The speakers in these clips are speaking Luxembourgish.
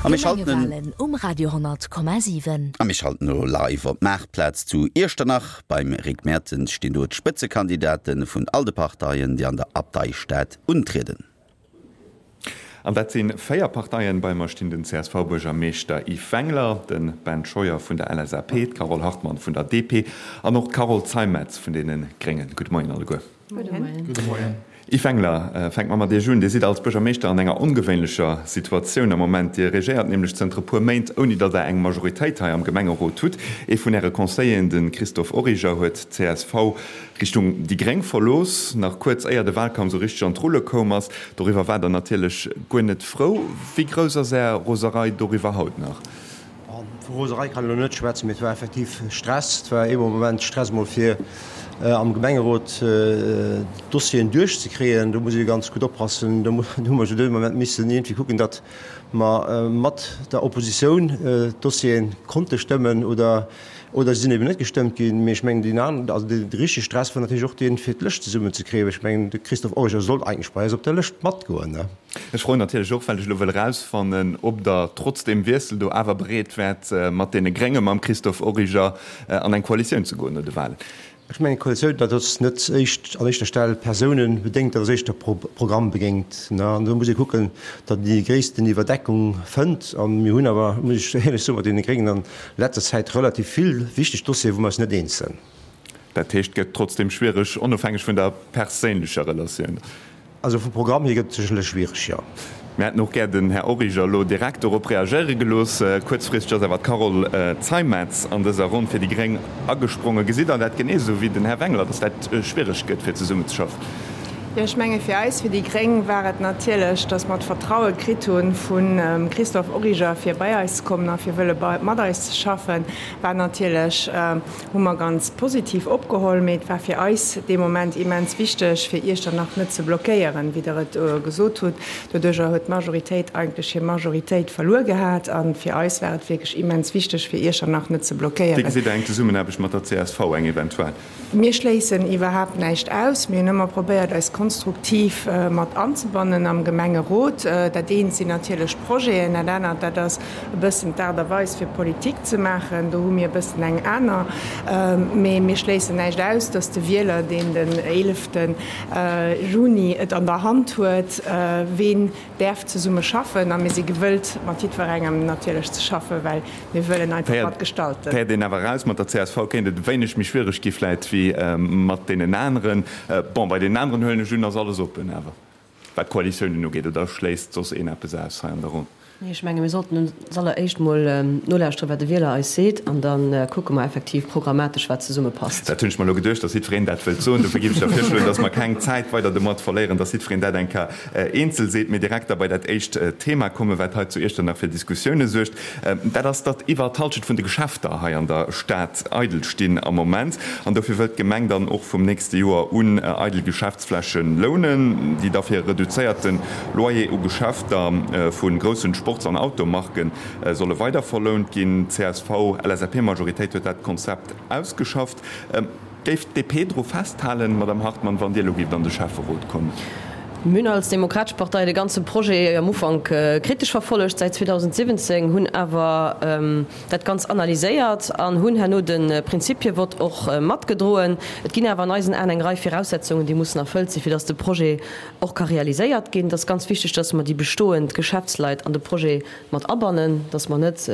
A mir schalten. D'Gemengewalen um Radio 10,7. A mir schalten elo live op d'Maartplaz zu Iechternach. Beim Rick Mertens stinn do d'Spëtzekandidate vun all de Parteien, déi an der Abteistad untrieden. An dat si 4 Parteien. Bei mer stinn den CSV-Buergermeeschter Yves Wengler, de Ben Scheuer vun der LSAP, d'Carole Hartmann vun der DP an och d'Carole Zeimetz vun deene Gréngen. Gudde Moien alleguer. Gudde Moien. Gudde Moien. Yves Wengler, fänke mer mat Iech un. Dir sidd als Buergermeeschter an enger ongewéinlecher Situatioun am Moment. Dir regéiert nämlech zënter e puer Méint, ouni datt Der eng Majoritéit hei am Gemengerot hutt. Ee vun Äre Conseilleren, de Christophe Origer, huet d'CSV Richtung déi Gréng verlooss, nach kuerz éier de Wahlkampf esou richteg an d'Rulle koum ass. Doriwwer waart Der natierlech guer net frou. Wéi grouss ass Är Roserei doriwwer haut nach? Vu Roserei kann ech elo net schwätzen, mee et war effektiv Stress. Et war ee Moment Stress emol fir am Gemengerot d'Dossieren duerchzekréien. Do muss ee ganz gutt oppassen. Do hu mer jo dee Moment missen iergendwéi kucken, datt mer mat der Oppositioun d'Dossiere konnte stëmmen oder oder se sinn eben net gestëmmt ginn. Mee ech mengen, deen aneren, also de richtege Stress war natierlech och deen, fir d'Lëscht zesummenzekréien. Well ech mengen, de Christophe Origer sollt eigentlech bei eis op der Lëscht matgoen. Ech froen natierlech och, well ech elo wëll erausfannen, ob Der trotz deem Wiessel do awer bereet wäert, mat deene Grénge, mam Christophe Origer an eng Koalitioun ze goen no de Wahlen. Ech mengen, d'Koalitioun, dat ass net éischt an éischter Stell persounebedéngt, dat ass éischter programmbedéngt. An do muss ee kucken, datt een déi gréissten Iwwerdeckung fënnt. A mir hunn awer, muss ech éierlech soen, mat deene Gréngen an letzter Zäit relativ vill wichteg Dossieren, wou mer eis net eens sinn. Dat heescht, et gëtt trotzdeem schwiereg, onofhängeg vun der perséinlecher Relatioun. Also vum Programm hier gëtt et sécherlech schwiereg, jo. Mir hätten och gär den Här Origer elo direkt dorop reagéiere gelooss. Kuerzfristeg ass awer d'Carole Zeimetz an dëser Ronn fir déi gréng agesprongen. Gesitt Der dat genee esou wéi den Här Wengler, datt dat schwiereg gëtt fir zesummenzeschaffen? Jo, ech menge fir eis, fir déi gréng, war et natierlech, datt mer d'Vertraue kritt hu vum Christophe Origer fir bei eis ze kommen a fir wëlle mat eis ze schaffen, war natierlech, Hu mer ganz positiv opgeholl, mee et war fir eis dee Moment immens wichteg, fir Iechternach net ze blockéieren, wéi Der et gesot hutt. Doduerjer huet d'Majoritéit eigentlech hir Majoritéit verluer gehat. A fir eis war et wierklech immens wichteg, fir Iechternach net ze Wéi blockéieren. gesitt Der eng Zesummenaarbecht mat der csv, eng eventuell? Mir schléissen iwwerhaapt näischt aus. Mir hunn ëmmer probéiert, eis konstruktiv mat anzebannen am Gemengerot. Dat eent sinn natierlech d'Projeten, dat anert, dat ass e bëssen d'Aart a Weis fir Politik ze maachen. Do hu mir e bëssen eng aner. Mee mir schléissen näischt aus, datt de Wieler, deen den eelefte Juni et an der Hand huet, ween däerf zesumme schaffen. A mir si gewëllt, mat jiddwerengem natierlech ze schaffen, well mir wëllen einfach mat gestalten. Féiert een awer eraus, mat der csv kéint et e wéineg méi schwiereg gi vläit wéi mat deenen aneren. Bon, bei deenen aneren huelen ech un, ass alles oppen awer. Wat d'Koalitiounen ugeet, oder schléisst soss een eppes aus hei an der Ronn? Nee, ech menge mir sollten als alleréischt mol nolauschteren, wat de Wieler eis seet, an da kucke mer effektiv programmatesch, wat zesumme passt. Dat hunn ech mer elo geduecht, dass jiddwereen dat wëllt soen. Dofir géif ech da virschloen, dass mer keng Zäit weider domat verléieren, dass jiddwereen dat eng Kéier eenzel seet, mee direkt da bei dat éischt Thema kommen, wat hei zu Iechternach fir Diskussioune suergt. Dat ass, datt iwwer d'Halschent vun de Geschäfter hei an der Stad eidel stinn am Moment. An dofir wëllt d'Gemeng dann och vum nächste Joer un eidel Geschäftsfläche lounen, déi da fir e reduzéierte Loyer u Geschäfter vu groussen Sports an Automarke solle weider verlount ginn. D'CSV-LSAP-Majoritéit huet dat Konzept ausgeschafft. Géif d'DP dru festhalen, Madamm Hartmann, wann Dir elo géift an de Schäfferot kommen? Mir hunn als Demokratesch Partei de ganze Projet am Ufank kritesch verfollegt, säit 2017, hunn awer dat Ganzt analyséiert an hunn herno de Prinzipievott och matgedroen. Et ginn awer an eisen Aen eng Rei Viraussetzungen, déi mussen erfëllt sinn, fir dass de Projet och ka realiséiert ginn. Et ass ganz wichteg, dass mer déi bestoend Geschäftsleit an de Projet mat abannen, dass mer net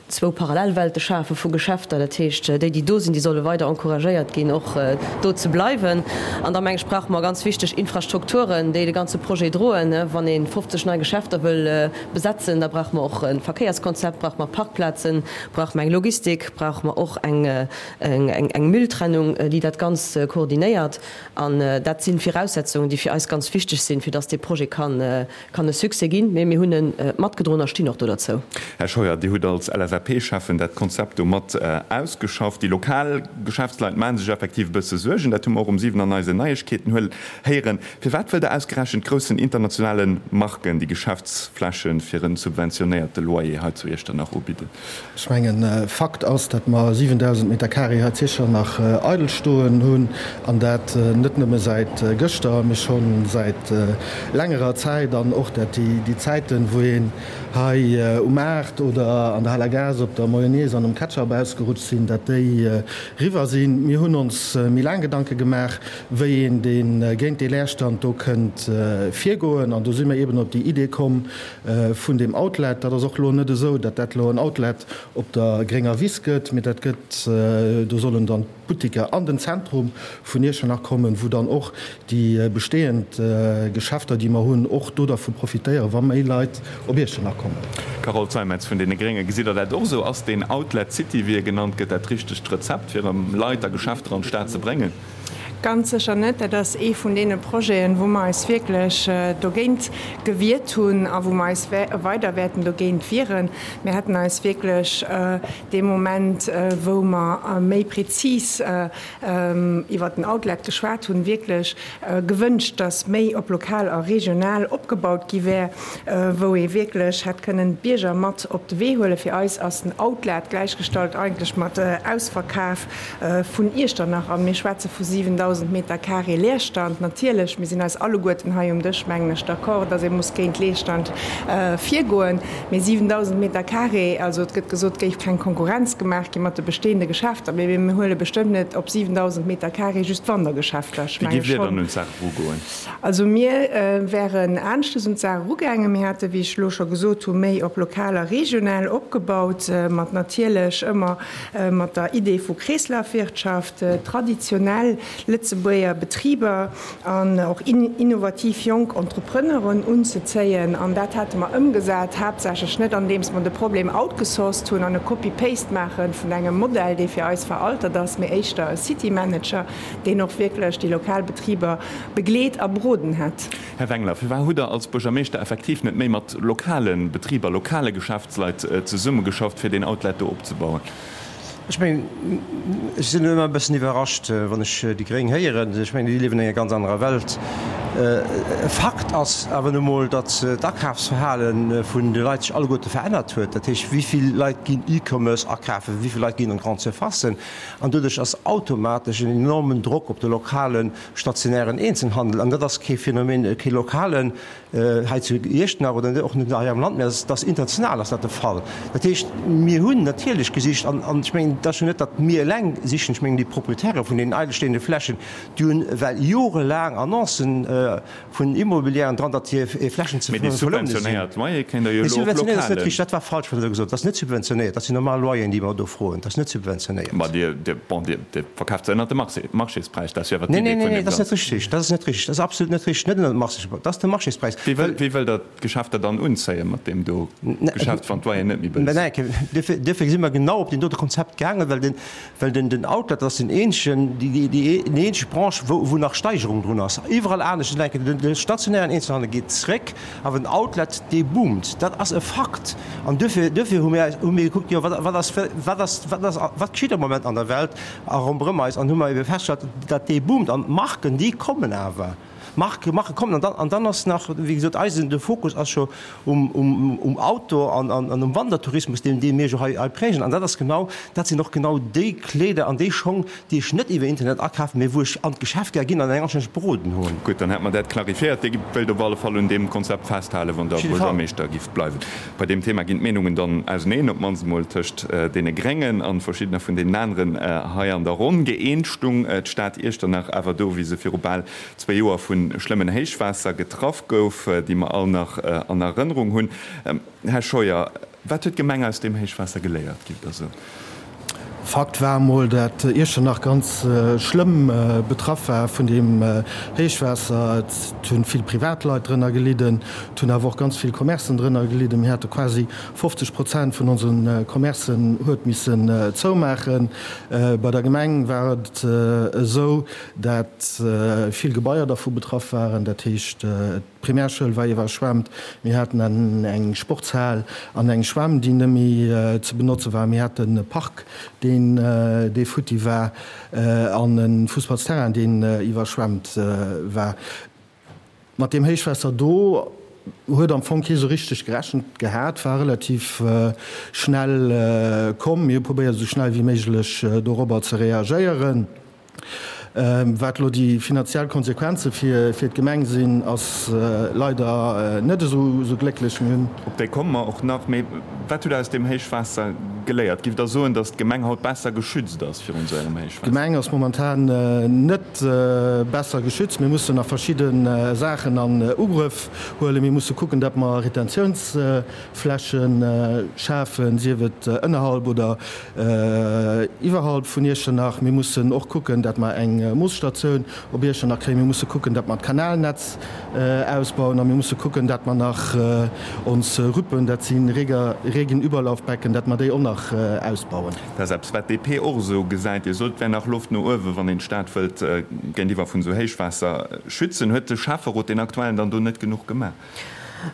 zwou Parallelwelte schafe vu Geschäfter. Dat heescht, déi, déi do sinn, déi solle weider encouragéiert ginn, och do ze bleiwen. An da meng ech, brauche mer ganz wichteg Infrastrukturen, déi de ganze Projet droen. Wann ee 50 nei Geschäfter wëll besetzen, da brauche mer och e Verkéierskonzept, brauche mer Parkplazen, brauche mer eng Logistik, brauche mer och eng Mülltrennung, déi dat Ganzt koordinéiert. An dat si Viraussetzungen, déi fir eis ganz wichteg sinn, fir dass dee Projet kann Kann e Succès ginn, mee mir hunn e matgedroen a stinn och do derzou. Här Scheuer, Dir hutt als LSAP. LSAP-Schäffen dat Konzept do mat ausgeschafft. Déi lokal Geschäftsleit maache sech effektiv e bësse Suergen. Dat hu mer och um 7 an eisen Neiegkeeten héieren. Firwat wëllt Der ausgerechent groussen internationale Marken déi Geschäftsfläche fir en subventionéierte Loyer hei zu Iechternach ubidden? Ech mengen, Fakt ass, datt mer 7.000 Meter carré hei zu Iechternach eidel stoen hunn, an dat net nëmme säit gëschter, mee scho säit längerer Zäit, an och dat déi Zäiten, wou een hei um Maart oder an der Haler Gaass op der Mayonnaise an um Ketchup ausgerutscht sinn, dat déi riwwer sinn. Mir hunn ons méi laang Gedanke gemaach, wéi een dee géint dee Leerstand do kënnt virgoen, an do si mir eeben op déi Idee komm vun deem Outlet. Dat ass och elo net esou, datt dat elo en Outlet op der grénger Wiss gëtt, mee dat gëtt, do sollen dann d'Buttiker an den Zentrum vun Iechternach kommen, wou dann och déi bestehend Geschäfter, déi mer hunn, och do dervu profitéieren, wa méi Leit op Iechternach kommen. Carole Zeimetz vun deene Gréngen, Gesitt Der dat och esou? Ass deen Outlet City, wéi e genannt gëtt, dat richtegt Rezept, fir erëm Leit a Geschäfter an d'Stad ze bréngen? Ganz sécher net. Dat ass ee vun deene Projeten, wou mer eis wierklech dogéint gewiert hunn a wou mer eis weider wäerten dogéint wieren. Mir hätten eis wierklech dee Moment, wou mer méi prezis iwwert den Outlet geschwat hunn, wierklech gewënscht, dass méi op lokal a regional opgebaut gi wär, wou ee wierklech hätt kënnen d'Bierger mat op de Wee huelen. Fir eis ass den Outlet gläichgestallt eigentlech mat Ausverkaf vun Iechternach an mir schwätze vu 7.000 Meter carré Leerstand. Natierlech, mir sinn eis alleguerten hei um Dësch, mengen ech, d'accord, dass ee muss géint Leerstand virgoen. Mee 7.000 Meter carré, also et gëtt gesot, et géif keng Konkurrenz gemaach gi mat de bestehende Geschäfter, mee mir huele bestëmmt net op 7.000 Meter carré just Wandergeschäfter. Ech Wéi menge giff Dir schonn. dann un d'Saach erugoen? Also mir wären aneschtes un d'Saach erugaangen. Mir hätte, wéi ech elo scho gesot hu, méi op lokal a regional opgebaut, mat natierlech ëmmer mat der Idee vu Kreeslafwirtschaft, traditionell Lëtzebuerger Betriber an och innovativ jonk Entrepreneuren unzezéien. An dat hate mer ëmgesat, haaptsächlech net andeems mer de Problem outgesourced hunn an e Copy-paste maache vun engem Modell, dee fir eis veraltert ass, mee éischter e City-Manager, deen och wierklech déi lokal Betriber begleet a beroden hätt. Här Wengler, firwat hutt Der als Buergermeeschter effektiv net méi mat lokale Betriber, lokale Geschäftsleit zesummegeschafft, fir deen Outlet do opzebauen? Ech mengen, ech sinn ëmmer e bëssen iwwerrascht, wann ech déi Gréng héieren. Ech mengen, déi liewen an enger ganz anerer Welt. Fakt ass awer nu mol, datt d'Akafsverhale vun de Leit sech alleguerte verännert huet. Dat heescht, wéi vill Leit ginn E-Commerce akafen, wéi vill Leit ginn an d'Grande Surfacen? An doduerch ass automatesch en enormen Drock op de lokale stationären Eenzelhandel, an dat ass kee Phänomen, kee lokalen hei zu Iechternach oder och net hei am Land, mä dat ass international ass dat de Fall. Dat heescht, mir hunn natierlech gesicht, an ech mengen, et ass jo net, datt mir eleng sichen, ech mengen, déi Proprietäre vun deenen eidelstehende Flächen, déi hunn well jorelaang Annoncen vun Immobilièren dran, datt hir Flächen ze Mee déi verlounen sinn. subventionéiert Loyer kéint Der jo Mee elo och subventionéiert ass net lokalen. richteg, dat war falsch, wat Der do gesot hutt. Dat ass net subventionéiert, dat sinn normal Loyeren, déi mer do froen. Dat ass net subventionéiert. Ma Dir, Dir, bon, Dir, Dir verkaaft se ënnert dem Marché, Marchéspräis, dat ass jo awer Nee, d'Idee nee, nee, vun nee, deem dat ass net Ganzen. richtig. Dat ass net richtig. Dat ass absolut net richtig. Net ënnert dem Marchéspräis. Dat ass de Marchéspräis. Wéi wëll, wéi wëllt Der d'Geschäfter dann unzéien mat deem do Geschäft, wann d'Loyeren net méi bëlleg sinn? Duerfir, duerfir si mer genau op deen dote Konzept gaangen, well den, Well den den Outlet ass den eenzegen, déi déi eenzeg Branche, wou wou nach Steigerung drun ass. Iwwerall anescht denken, den de stationären Eenzelhandel geet zréck, awer den Outlet, dee boomt. Dat ass e Fakt. An duerfir duerfir hu mir hu mir gekuckt, jo wat wat ass wat ass wat ass wat geschitt am Moment an der Welt a ronderëm eis an hu mer ebe festgestallt, datt dee boomt. An d'Marken, déi kommen awer. Marke Marke kommen. An dann an dann ass nach, wéi gesot, eisen de Fokus ass scho um um um Outdoor an an an um Wandertourismus, deen dee mir jo hei hei prägen. An dat ass genau, dat sinn och genau déi Kleeder an déi Schong, déi ech net iwwer Internet akafen, mee wou ech an d'Geschäft gär ginn an eng anstänneg beroden hunn. Gutt, dann hätte mer dat clarifiéiert. Dir wëllt op alle Fall un deem Konzept festhalen, wann Der Op jidde Fall. Buergermeeschter gifft bleiwen. Bei deem Thema ginn d'Meenungen dann auseneen, op d'mannst emol tëscht deene Gréngen an verschiddener vun deenen aneren hei an der Ronn. Gëeent stung d'Stad Iechternach awer do, wéi se viru bal zwéi Joer vu schlëmmen Héichwaasser getraff gouf, déi mer all nach an Erënnerung hunn. Här Scheuer, wat huet d'Gemeng aus deem Héichwaasser geléiert, giff Der soen? Fakt war emol, dat Iechternach ganz schlëmm betraff war vun deem Héichwaasser. Et hunn vill Privatleit drënner gelidden, et hunn awer och ganz vill Commercen drënner gelidden. Mir hate quasi 50 Prozent vun onse Commercen huet missen zoumaachen. Bei der Gemeng war et esou, dat vill Gebaier dervu betraff waren. Dat heescht, et. D'Primärschoul war iwwerschwemmt. Mir haten eng Sportshal an eng Schwämm, déi net méi ze benotze war. Mir haten e Park, deen dee futti war an e Fussballsterrain, deen iwwerschwemmt war. Mat deem Héichwaasser do huet am Fong kee sou richteg gerechent gehat, war relativ schnell komm. Mir hu probéiert, esou schnell wéi méiglech dorobber ze reagéieren. Wat elo déi finanziell Konsequenze fir d'Gemeng sinn, ass leider net esou glécklech. Mir hunn. Op déi komme mer och nach. Mee wat hutt Der aus deem Héichwaasser geléiert? Giff Der soen, datt d'Gemeng haut besser geschützt ass virun esou engem Héichwaasser? D'Gemeng ass momentan net besser geschützt. Mir mussen nach verschidde Saachen an Ugrëff huelen. Mir musse kucken, datt mer Retentiounsfläche schafen, sief et ënnerhalb oder Iwwerhalb vun Iechternach. Mir mussen och kucken, datt mer eng Moosstatioun op Iechternach kréien. Mir musse kucken, datt mer d'Kanalnetz ausbauen. A mir musse kucken, datt mer nach ons Rüppen, dat si Regenüberlaufbecken, datt mer déi och nach ausbauen. Dat ass eppes, wat d'DP och esou gesäit. Dir sot, et wär nach Loft no uewen, wann een d'Stad wëllt géintiwwer vun esou Héichwaasser schützen. Huet de Schäfferot, deen aktuellen, dann do net genuch gemaach?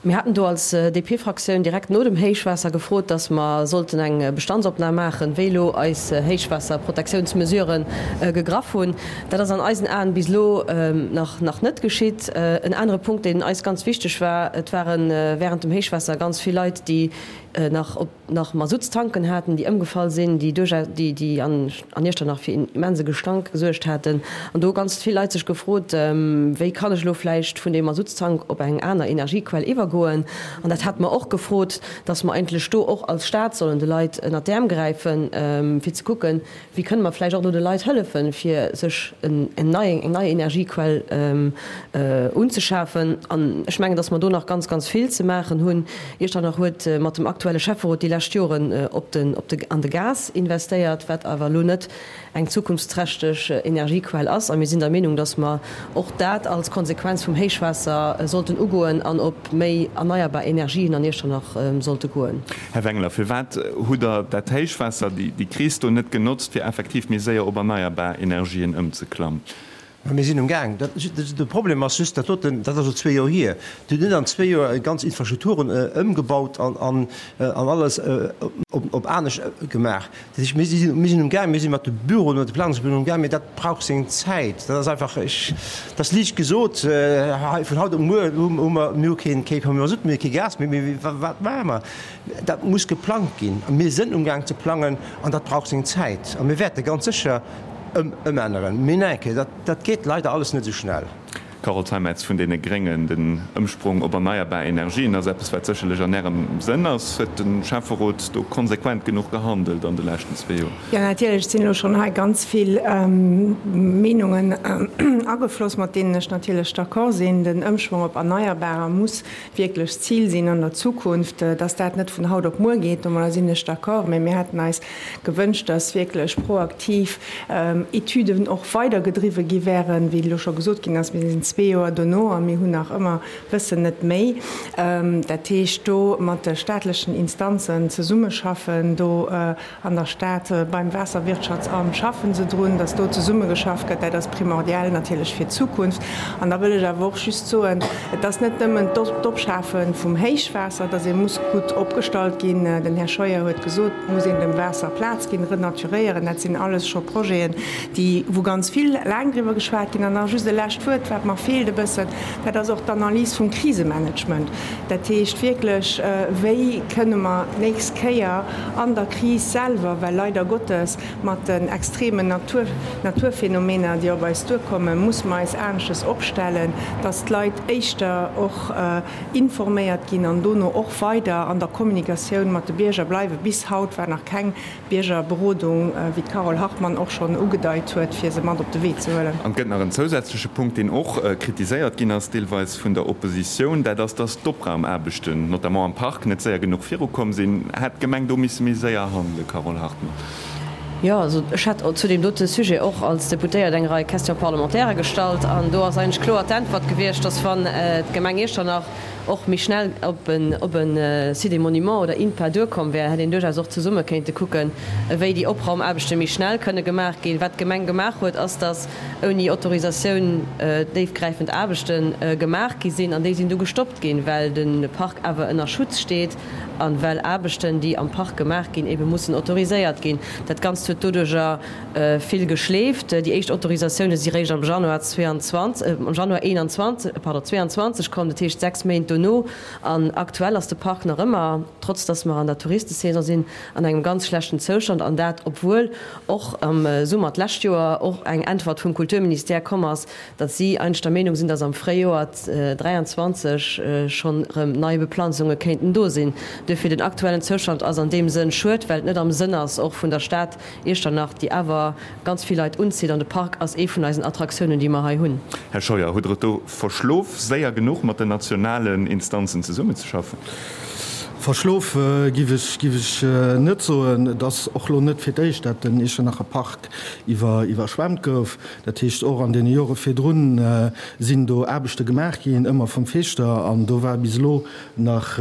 Mir haten do als DP-Fraktioun direkt no dem Héichwaasser gefrot, dass mer sollten eng Bestandsopnam maachen, wéi elo eis Héichwaasserprotektiounsmesurë gegraff hunn. Dat ass an eisen Aen bis elo nach nach net geschitt. En anere Punkt, deen eis ganz wichteg war, Et ware während dem Héichwaasser ganz vill Leit, déi nach op nach Masuttstanken haten, déi ëmgefall sinn, déi duerchaus, déi, déi an, an Iechternach fir immense Gestank gesuergt haten. An do hu ganz vill Leit sech gefrot, Wéi kann ech elo vläicht vun deem Masuttstank op eng aner Energiequell iwwergoen? An dat hate mer och gefrot, dass mer eigentlech do och als Stat sollen de Leit ënnert d'Äerm gräifen, fir ze kucken, Wéi kënne mer vläicht och elo de Leit hëllefen, fir sech en nei, eng nei Energiequell unzeschafen? An ech mengen, dass mer do nach ganz, ganz vill ze maachen hunn. Iechternach huet mat dem aktuelle Schäfferot déi lescht Joren op den, op de, an de Gas investéiert, wat awer elo net eng zukunftsträchteg Energiequell ass. A mir sinn der Meenung, dass mer och dat als Konsequenz vum Héichwaasser sollten ugoen an op méi erneierbar Energien an Iechternach sollte goen. Här Wengler, firwat hutt Der dat Héichwaasser, déi Kris do net genotzt, fir effektiv méi séier op erneierbar Energien ëmzeklammen? Mä mir sinn um Gaang. De Problem ass just, dat doten, dat ass elo zwee Joer hier. Dir hutt net an zwee Joer ganz Infrastrukturen ëmgebaut an alles op anescht gemaach. Dat heescht, mir sinn um Gaang, mir si mat de Büroen, mat de Planungsbüroen um Gaang, mee dat brauch seng Zäit. Dat ass einfach, ech, dat ass liicht gesot, hei vun haut op muer hu mer, mir hu keen, kee Masutt méi, kee Gas méi, mee wat maache mer? Dat muss geplangt ginn a mir sinn um Gaang ze plangen an dat brauch seng Zäit a mir wäerte ganz sécher ëmänneren. Mee neenke, dat, dat geet leider alles net esou schnell. Carole Zeimetz vun deene Gréngen, Den Ëmsprong op erneierbar Energien ass eppes, wat sécherlech an Ärem Sënn ass. Huet de Schäfferot do konsequent genuch gehandelt an de leschten zwee Joer? Jo, natierlech sinn elo schonn hei ganz vill Meenungen agefloss, mat deenen ech natierlech d'accord sinn. Den Ëmschwong op Erneierbarer muss wierklech d'Zil sinn an der Zukunft. Dass dat net vun haut op muer geet, domadder sinn ech d'accord. Mä mir hätten eis gewënscht, dass wierklech proaktiv Etüden och weidergedriwwe gi wären. Wéi elo scho gesot ginn ass, mir sinn zwee Joer dono a mir hunn nach ëmmer, wëssen net méi. Dat heescht, do mat de staatlechen Instanzen zesummeschaffen, do an der Stad beim Waasserwirtschaftsamt schaffen se drun, dass do zesummegeschafft gëtt. Dat ass primordial natierlech fir d'Zukunft. An da wëll ech awer och just soen, et ass net nëmmen d'Opschafe vum Héichwaasser, dass ee muss gutt opgestallt ginn. Den Här Scheuer huet gesot, et muss een dem Waasser Plaz ginn, renaturéieren. Dat sinn alles scho Projeten, déi, wou ganz vill laang driwwer geschwat ginn. An nach just e lescht Wuert, wat mer feelt e bëssen, dat ass och d'Analys vum Krisemanagement. Dat heescht wierklech, wéi kënne mer d'nächst Kéier an der Kris selwer, well leider Gottes mat den extremen Natur, Naturphänomener, déi op eis duerkommen, musse mer eis anesches opstellen, dass d'Leit éischter och informéiert ginn an dono och weider an der Kommunikatioun mat de Bierger bleiwen. Bis haut war nach keng Biergerberodung, wéi d'Carole Hartmann och schonn ugedeit huet, fir se mat op de Wee ze huelen. An et gëtt nach en zousätzleche Punkt, deen och kritiséiert ginn ass, deelweis vun der Oppositioun, dat ass, dass d'Opraumaarbechten, notamment am Park, net séier genuch virukomm sinn. Hätt d'Gemeng do misse méi séier handelen, Carole Hartmann? Jo, also ech hat zu deem dote Sujet och als Deputéiert eng Rei Questions parlementaires gestallt an do ass eigentlech kloer d'Äntwert gewiescht, dass wann d'Gemeng Iechternach och méi schnell op en op e Site des Monuments oder INPA duerkomm wär, hätt een duerchaus och zesumme kéinte kucken, wéi déi Opraumaarbechte méi schnell kënne gemaach ginn. Wat d'Gemeng gemaach huet, ass, datt. ouni Autorisatioun déifgräifend Aarbechte gemaach gi sinn an déi sinn du gestoppt ginn, well de Park awer ënner Schutz steet a well Aarbechten, déi am Park gemaach ginn, ebe mussen autoriséiert ginn. Dat Ganzt huet doduerjer vill geschleeft. Déi éischt Autorisatioune si réischt am Januar 22, am Januar 21, pardon, 22 komm, dat heescht 6 Méint dono. An aktuell ass de Park nach ëmmer, trotz datt mer an der Touristesaison sinn, an engem ganz schlechten Zoustand. An dat obwuel och am Summer d'lescht Joer och eng Äntwert vum Kulturministère komm ass, datt si eigentlech der Meenung sinn, datt am Fréijoer 23 schonn erëm nei Beplanzunge kéinten do sinn. Duerfir, den aktuellen Zoustand ass an deem Sënn schued, well et net am Sënn ass och vun der Stad Iechternach, déi awer ganz vill Leit unzitt. An de Park ass ee vun eisen Attraktiounen, déi mer hei hunn. Här Scheuer, hutt Der et do verschlof, séier genuch mat den nationalen Instanzen zesummenzeschaffen? Verschlof giff ech giff ech net soen. Et ass och lo net fir d'éischt, dat den Iechternacher Park iwwer iwwerschwemmt gouf. Dat heescht, och an deene Jore virdrun sinn do Aarbechte gemaach ginn, ëmmer vum Feeschter, an do war bis elo nach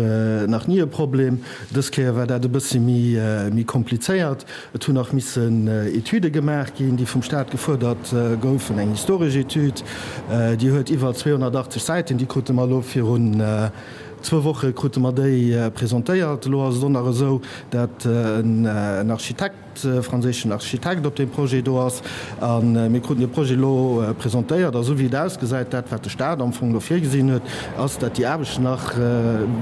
nach ni e Problem. Dës Kéier war dat e bëssi méi méi komplizéiert. Et hunn nach missen Etüde gemaach ginn, déi vum Staat gefuerdert goufen, eng historesch Etüd, déi huet iwwer 280 Säiten, déi krute mer elo virun zwou Woche krute mer déi presentéiert. Elo ass et och nach esou, dat en Architekt, e franséischen Architekt op deem Projet do ass. A mir kruten dee Projet elo presentéiert a sou wéi et ausgesäit, dat wat de Staat am Fong elo virgesinn huet, ass, dat déi Aarbechten nach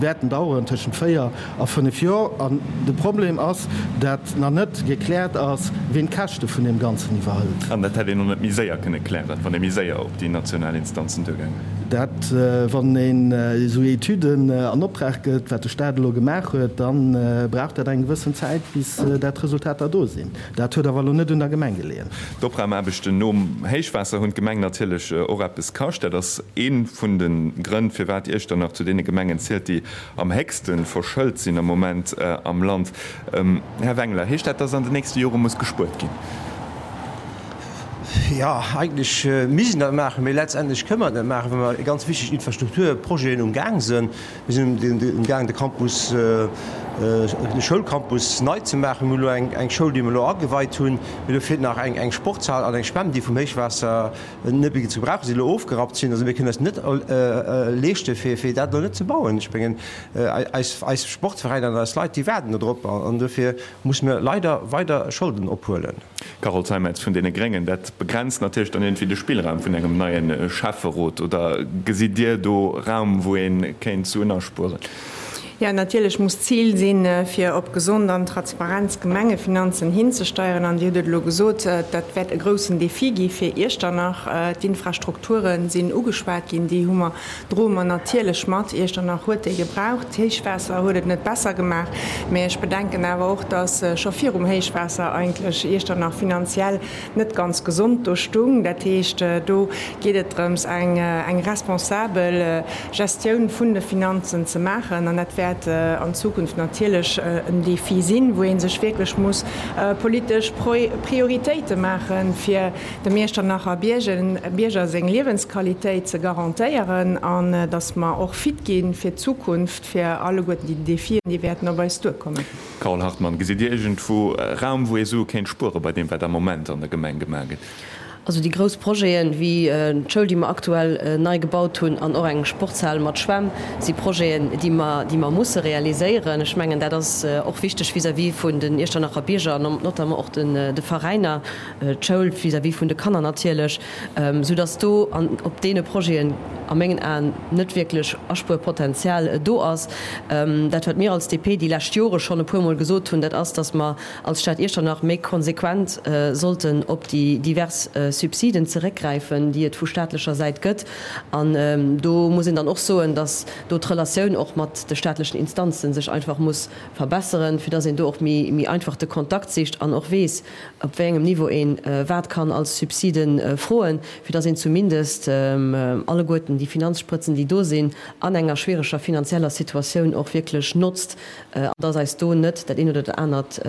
wäerten daueren tëschent 4 a 5 Joer. An de Problem ass, dat nach net gekläert ass, ween d'Käschte vun deem Ganzen iwwerhëlt. An dat hätt een och net méi séier kënne klären, wann ee méi séier op déi national Instanzen duergaange wär? Dat, wann een esou Etüden an Optrag gëtt, wat de Staat elo gemaach huet, da brauch dat eng gewëssen Zäit, bis dat d'Resultater do sinn. Dat huet awer elo net un der Gemeng geleeën. D'Opraumaarbechten nom Héichwaasser hunn d'Gemeng natierlech och eppes kascht. Dat ass ee vun de Grënn, firwat Iechternach zu deene Gemengen zielt, déi am héchste verschëlt sinn am Moment am Land. Här Wengler, heescht dat, dass an den nächste Jore muss gespuert ginn? Jo, eigentlech misst een dat maachen, mee letztendlech kënne mer et net maachen, well mer ganz wichteg Infrastrukturprojeten um Gaang sinn. Mir sinn um Gaang, de Campus, de Schoulcampus nei ze maachen. Mir hunn elo eng Schoul, déi mer elo ageweit hunn, mee do feelt nach eng Sportshal an eng Schwämm, déi vum Héichwaasser net méi ze gebrauchen sinn, elo ofgerappt sinn. Also mir kënnen eis net leeschten, fir dat elo net ze bauen. Ech mengen, eis Sportveräiner an eis Leit, déi waarden do drop an dofir musse mir leider weider Scholden ophuelen. Carole Zeimetz vun deene Gréngen, Dat begrenzt natierlech dann iergendwéi de Spillraum vun engem neie Schäfferot. Oder gesitt Dir do Raum, wou ee kéint Suen aspueren? Jo, natierlech muss d'Zil sinn, fir op gesond an transparent Gemengefinanzen hinzesteieren. An Dir hutt et elo gesot, dat wäert e groussen Defi gi fir Iechternach. D'Infrastrukture sinn ugeschwat ginn, déi hu mer, droe mer natierlech mat. Iechternach huet déi gebraucht. D'Héichwaasser huet et net besser gemaach. Mä ech bedenken awer och, dass scho virum Héichwaasser eigentlech Iechternach finanziell net ganz gesond do stung. Dat heescht, do geet et drëms, eng responsabel Gestioun vun de Finanzen ze maachen. An dat wäert an Zukunft natierlech en Défi sinn, wou ee sech wierklech muss politesch Prioritéite maachen, fir dem Iechternacher Bierger seng Liewensqualitéit ze garantéieren an datt mer och fit gi fir d'Zukunft, fir alleguerten déi Défien, déi wäerten op eis duerkommen. Carole Hartmann, Gesitt Dir iergendwou Raum, wou ee Sue kéint spuere bei deem, wat am Moment an der Gemeng gemaach gëtt? Also déi grouss Projeten, wéi d'Schoul, déi mer aktuell nei gebaut hunn, an och eng Sportshal mat Schwämm, si Projeten, déi mer, déi mer musse realiséieren. Ech mengen, dat ass och wichteg vis-à-vis vun den Iechternacher Bierger an notamment och de Veräiner, d'Schoul vis-à-vis vun de Kanner natierlech, soudass do an op deene Projeten a mengen Aen net wierklech Aspuerpotenzial do ass. Dat, wat mir als DP déi lescht Jore schonn e puermol gesot hunn, dat ass, dass mer als Stad Iechternach méi konsequent sollten op déi divers Subsiden zeréckgräifen, déi et vu staatlecher Säit gëtt. An do muss een dann och soen, dass do d'Relatioun och mat de staatlechen Instanzen sech einfach muss verbesseren, fir dass een do och méi einfach de Kontakt sicht an och weess, op wéi engem Niveau ee wat kann als Subside froen, fir dass een zumindest alleguerten déi Finanzsprëtzen, déi do sinn, an enger schwiereger finanzieller Situatioun och wierklech notzt an dass eis do net dat eent oder dat anert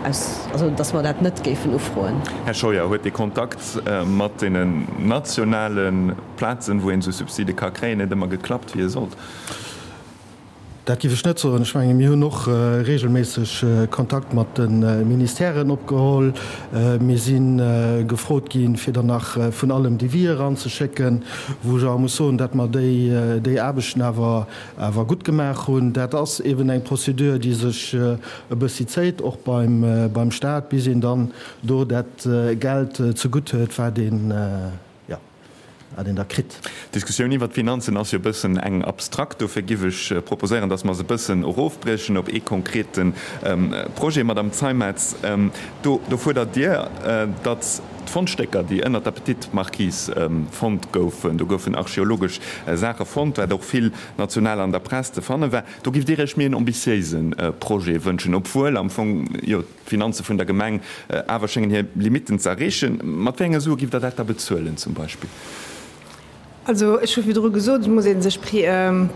aus, also dass mer dat net géifen ufroen. Här Scheuer, huet dee Kontakt mat deenen nationale Plazen, wou een esou Subside ka kréien, net ëmmer geklappt, wéi e sollt? Dat géif ech net soen. Ech menge mir hunn och regelméisseg Kontakt mat de Ministèren opgeholl. Mir si gefrot ginn, fir dann nach vun allem Devis eranzeschécken, wou ech awer muss soen, datt mer déi déi Aarbechten awer awer gutt gemaach hunn. Dat ass eben eng Procédure, déi sech e bëssi zéit, och beim beim Stat, bis een dann do dat Geld zegutt huet, wat een, jo, wat een da kritt. D'Diskussioun iwwert d'Finanzen ass jo e bëssen eng abstrakt. Dofir giff ech proposéieren, dass mer se e bëssen erofbriechen op ee konkrete Projet. Madame Zeimetz, do do fuerdert Dir, datt d'Fondstécker, déi ënnert der Petite Marquise fonnt goufen, do goufen archeologesch Saache fonnt, wat och vill national an der Press ze fanne war, do giff Dir Iech méi en ambitiéise Projet wënschen, obwuel am Fong jo d'Finanze vun der Gemeng awer schéngen hir Limitten ze erreechen. Mat wéi enge Sue giff Der dat da bezuelen zum Beispill? Also ech hu virdru gesot, et muss ee sech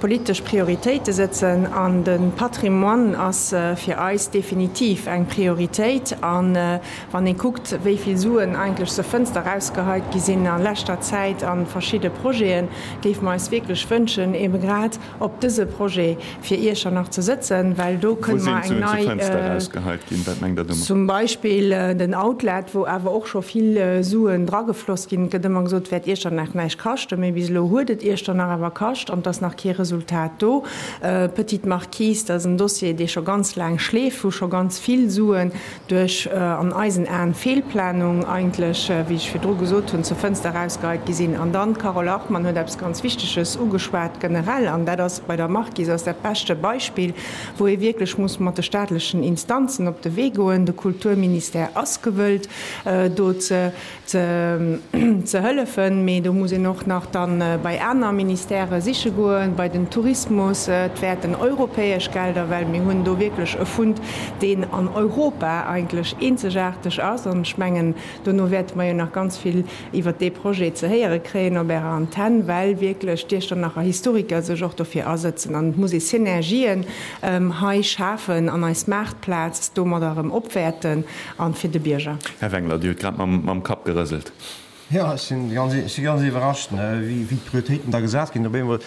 politesch Prioritéite sëtzen an de Patrimoine ass fir eis definitiv eng Prioritéit. A wann ee kuckt, wéi vill Suen eigentlech zur Fënster erausgeheit gi sinn a leschter Zäit a verschidde Projeten, géife mer eis wierklech wënschen, ebe grad op dëse Projet fir Iechternach ze sëtzen, well do kënne mer eng nei, zum Beispill den Outlet, wou awer och scho vill Suen dragefloss ginn. Et gëtt ëmmer gesot, et wäert Iechternach näischt kaschten, mee bis elo huet et Iechternach awer kascht an et ass nach kee Resultat do. Petite Marquise, dat ass en Dossier, dee scho ganz laang schleeft, wou scho ganz vill Suen duerch an eisen Aen Fehlplanung eigentlech, wéi ech virdru gesot hunn, zur Fënster erausgeheit gi sinn. An dann, d'Carole Hartmann huet eppes ganz Wichteges ugeschwat generell, an dat ass bei der Marquise ass dat beschte Beispill, wou ee wierklech muss mat de staatlechen Instanzen op de Wee goen. De Kulturministère ass gewëllt, do ze ze hëllefen, mee do muss een och nach dann bei aner Ministèrë siche goen, bei den Tourismus. Et wäerten europäesch Gelder, well mir hunn do wierklech e Fund, deen an Europa eigentlech eenzegaarteg ass. An ech mengen, dono wäerte mer jo nach ganz vill iwwert dee Projet ze héiere kréien op Ärer Antenn, well wierklech d'Iechternacher Historiker sech och dofir asëtzen. An et muss ee Synergien hei schafen an eis Maartplaz domadder erëm opwäerten. An fir de Bierger. Här Wengler, Dir hutt grad mam Kapp gerëselt. Jo, ech sinn ganz, ech si ganz iwwerrascht, wéi d'Prioritéiten da gesat ginn. Op eemol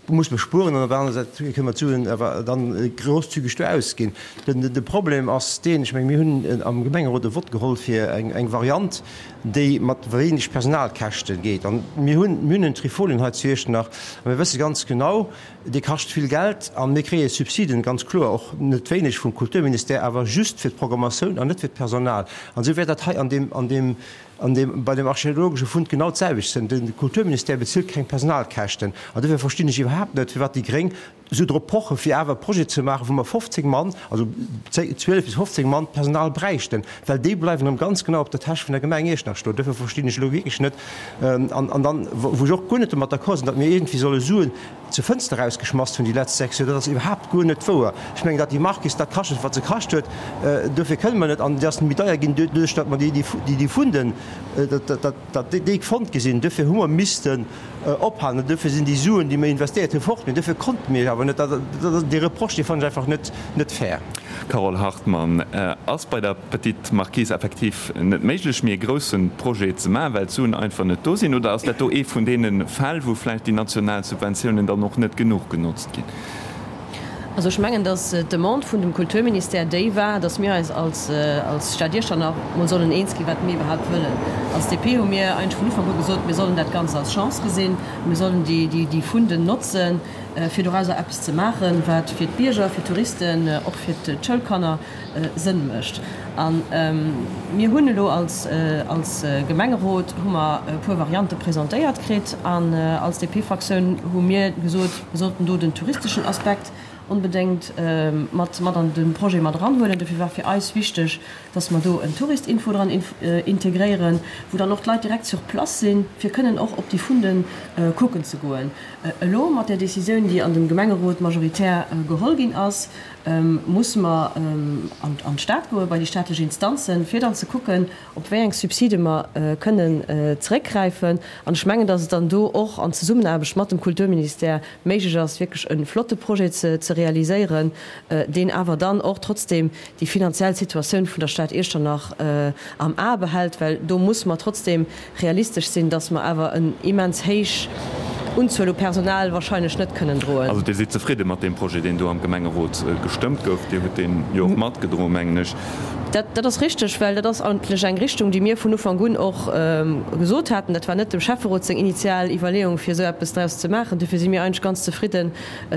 muss mer spueren an op der anerer Säit kënne mer d'Suen awer dann grosszügeg do ausginn. De Problem ass deen, ech menge mir hunn am Gemengerot e Vott geholl fir eng Variant, déi mat wéineg Personalkäschte geet. An mir hunn, mir hunn en Trifolien hei zu Iechternach a mir wësse ganz genau, Dee kascht vill Geld a mir kréie Subsiden, ganz kloer, och net wéineg vum Kulturministère, awer just fir d'Programmatioun an net fir d'Personal. An esou wäert dat hei an deem, an deem, an deem, bei deem archeologesche Fund genau d'selwecht sinn. De Kulturministère bezilt keng Personalkäschten. An dofir verstinn ech iwwerhaapt net, firwat déi Gréng esou drop pochen, fir awer e Projet ze maachen, wou mer 15 Mann, also 12 bis 15 Mann Personal bräichten, well déi bleiwen erëm ganz genau op der Täsch vun der Gemeng Iechternach stoen. Dofir verstinn ech elo wierklech net, An dann, wou ech och guer net domat d'accord sinn, datt mir iergendwéi solle Suen zur Fënster erausgeschmass hunn déi letzt 6 Joer, dat ass iwwerhaapt guer net wouer. Ech mengen, datt déi Marquise dat kascht huet, wat se kascht huet, dofir kënne mer net, an déi ass méi deier ginn doduerch, datt mer déi Funden, datt déi fonnt gi sinn, dofir hu mer missten ophalen an dofir sinn déi Suen, déi mir investéiert hunn, fort. Mee dofir konnte mir awer net. Dee Reproche, dee fannen ech einfach net fair. Carole Hartmann, Ass bei der Petite Marquise effektiv net méiglech, méi e grousse Projet ze maachen, well d'Suen einfach net do sinn? Oder ass dat do ee vun deene Fäll, wou vläicht déi national Subventiounen dann och net genuch genotzt ginn? Also ech mengen, datt d'Demande vun dem Kulturministère déi war, datt mir eis als als Stad Iechternach mol sollen eens ginn, wat mir iwwerhaupt wëllen. Als DP hu mir eigentlech vun Ufank u gesot, mir sollen dat Ganzt als Chance gesinn, mir sollen déi déi Funden notzen, fir dorauser eppes ze maachen, wat fir d'Bierger, fir d'Touristen, och fir d'Schoulkanner Sënn mécht. A mir hunn elo als als Gemengerot hu mer e puer Variante presentéiert kritt an als DP-Fraktioun hu mir gesot, mir sollten do den touristeschen Aspekt onbedéngt mat mat an de Projet mat eranhuelen. Dofir war fir eis wichteg, dass mer do en Touristinfo dran integréieren, wou dann och d'Leit direkt sur place sinn, fir kënnen och op déi Funden kucken ze goen. Elo mat där Décisioun, déi an dem Gemengerot majoritär geholl ginn ass, musse mer an d'Stad goen, bei déi staatlech Instanzen, fir dann ze kucken, op wéi eng Subside mer kënnen zeréckgräifen. An ech mengen, dass et dann do och an Zesummenaarbecht mat dem Kulturministère méiglech ass, wierklech e flotte Projet ze realiséieren, deen awer dann och trotzdem déi finanziell Situatioun vun der Stad Iechternach am A behält, well do musse mer trotzdem realistesch sinn, dass mer awer en immens héich. Unzuel u Personal wahrscheinlech net kënnen droen. Also Dir sidd zefridde mat deem Projet, deen do am Gemengerot gestëmmt gouf? Dir hutt deen jo och matgedroen, mengen ech. Dat ass richteg, well dat ass eigentlech eng Richtung, déi mir vun Ufank un och gesot haten. Dat war net dem Schäfferot seng initial Iwwerleeung, fir esou eppes draus ze maachen. Dofir si mir eigentlech ganz zefridden,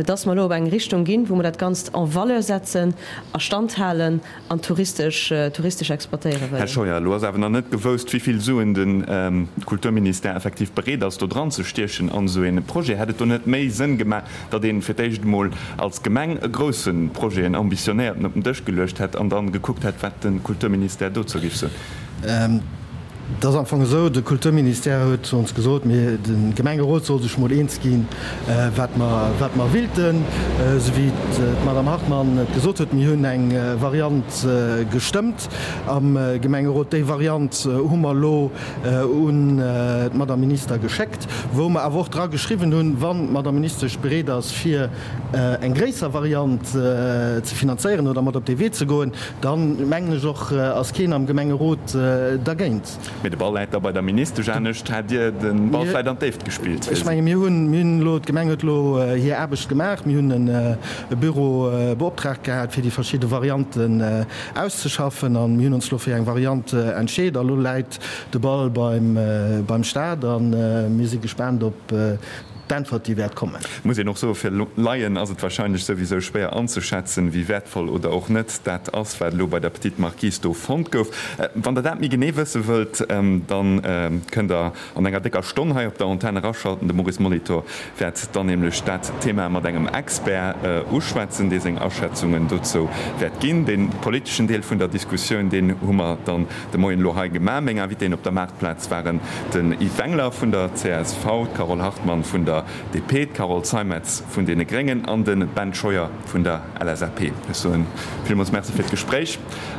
dass mer elo op eng Richtung ginn, wou mer dat Ganzt en valeur setzen, a Stand halen an touristesch, touristesch exploitéiere wëllen. Här Scheuer, elo ass awer nach net gewousst, wéi vill Suen de Kulturministère effektiv bereet ass, do dran ze stiechen an esou ee Projet. Hätt et do net méi Sënn gemaach, datt ee fir d'éischt emol als Gemeng e grousse Projet, en ambitionéierten, op den Dësch geluecht hätt an dann gekuckt hätt, wat de Kulturministère dozou géif soen? Et ass am Fong esou, de Kulturministère huet zu ons gesot, mir, de Gemengerot soll sech mol eens ginn, wat mer, wat mer willten. Esou wéi d'Madame Hartmann et gesot huet, mir hunn eng Variant gestëmmt am Gemengerot. Déi Variant hu mer elo un d'Madame Minister geschéckt, wou mer awer och dra geschriwwen hunn, wann d'Madame Ministesch bereet ass, fir eng gréisser Variant ze finanzéieren oder mat op dee Wee ze goen, Dann mengen ech och, ass keen am Gemengerot dergéint. Mee de Ball läit da bei der Ministesch. Anescht hätt Dir de Ball vläit an d'Déift gespillt. Ech menge mir hunn, mir hunn elo, d'Gemeng huet elo hir Aarbecht gemaach. Mir hunn e Büro beoptraagt gehat, fir déi verschidde Varianten auszeschaffen. A mir hunn ons elo fir eng Variant entscheet. A lo läit de Ball beim, beim Staat a mir si gespaant op d'Äntwert, déi wäert kommen. Muss een och soen, fir Laien ass et wahrscheinlech souwisou schwéier anzeschätzen, wéi wäertvoll oder och net dat ass, wat elo bei der Petite Marquise do fonnt gouf. Wann der dat méi genee wësse wëllt, dann kënnt der an enger décker Stonn hei op der Antenn eraschalten. De Maurice Molitor wäert dann nämlech dat Thema mat engem Expert uschwätzen, dee seng Aschätzungen dozou wäert ginn. Dee politeschen Deel vun der Diskussioun, deen hu mer dann de Moien elo hei gemaach. Meng Invitéen op der Maartplaz waren den Yves Wengler vun der csv, d'Carole Hartmann vun der DP, d'Carole Zeimetz vun deene Gréngen an de Ben Scheuer vun der LSAP. Ech soen villmools Merci fir d'Gespréich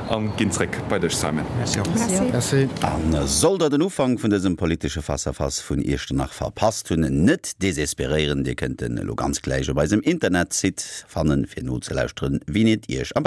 a ginn zréck bei dech, Simon. Merci och. Merci. A sollt der den Ufank vun dësem politesche Face-à-Face vun Iechternach verpasst hunn, net desesperéieren, Dir kënnt en elo ganz gläich op eisem Internetsite fannen, fir nozelauschteren, wien et Iech am.